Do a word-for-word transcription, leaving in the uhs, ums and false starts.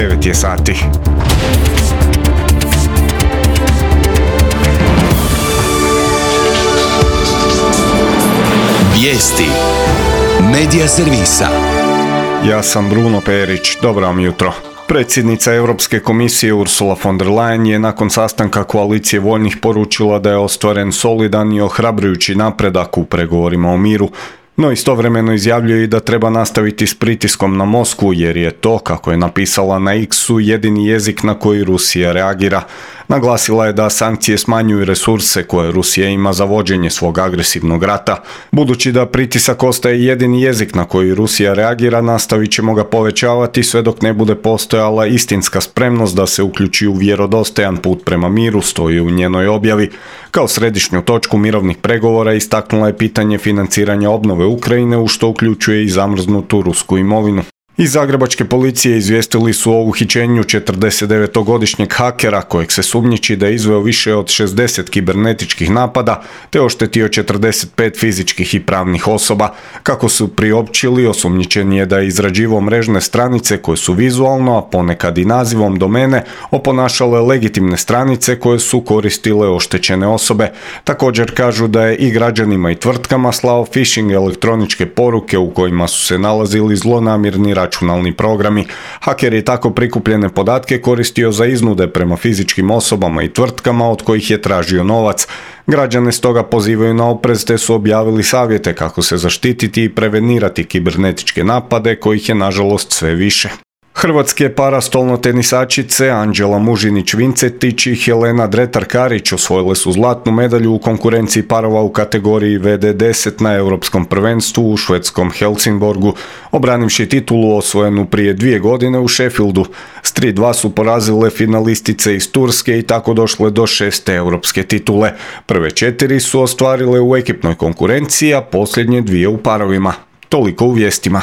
devet je sati. Vijesti Medija servisa. Ja sam Bruno Perić, dobro vam jutro. Predsjednica Europske komisije Ursula von der Leyen je nakon sastanka koalicije voljnih poručila da je ostvaren solidan i ohrabrujući napredak u pregovorima o miru, no istovremeno izjavljuje i da treba nastaviti s pritiskom na Moskvu jer je to, kako je napisala na X-u, jedini jezik na koji Rusija reagira. Naglasila je da sankcije smanjuju resurse koje Rusija ima za vođenje svog agresivnog rata. Budući da pritisak ostaje jedini jezik na koji Rusija reagira, nastavit ćemo ga povećavati sve dok ne bude postojala istinska spremnost da se uključi u vjerodostojan put prema miru, stoji u njenoj objavi. Kao središnju točku mirovnih pregovora istaknula je pitanje financiranja obnove Ukrajine, u što uključuje i zamrznutu rusku imovinu. Iz zagrebačke policije izvijestili su o uhićenju četrdesetdevetogodišnjeg hakera kojeg se sumnjiči da je izveo više od šezdeset kibernetičkih napada te oštetio četrdeset pet fizičkih i pravnih osoba. Kako su priopćili, osumnjičen je da je izrađivao mrežne stranice koje su vizualno, a ponekad i nazivom domene, oponašale legitimne stranice koje su koristile oštećene osobe. Također kažu da je i građanima i tvrtkama slao phishing elektroničke poruke u kojima su se nalazili zlonamjerni računalni programi. Haker je tako prikupljene podatke koristio za iznude prema fizičkim osobama i tvrtkama od kojih je tražio novac. Građane stoga pozivaju na oprez te su objavili savjete kako se zaštititi i prevenirati kibernetičke napade kojih je nažalost sve više. Hrvatske parastolnotenisačice Anđela Mužinić-Vincetić i Helena Dretar-Karić osvojile su zlatnu medalju u konkurenciji parova u kategoriji V D deset na Europskom prvenstvu u švedskom Helsingborgu, obranivši titulu osvojenu prije dvije godine u Sheffieldu. S tri dva su porazile finalistice iz Turske i tako došle do šeste europske titule. Prve četiri su ostvarile u ekipnoj konkurenciji, a posljednje dvije u parovima. Toliko u vijestima.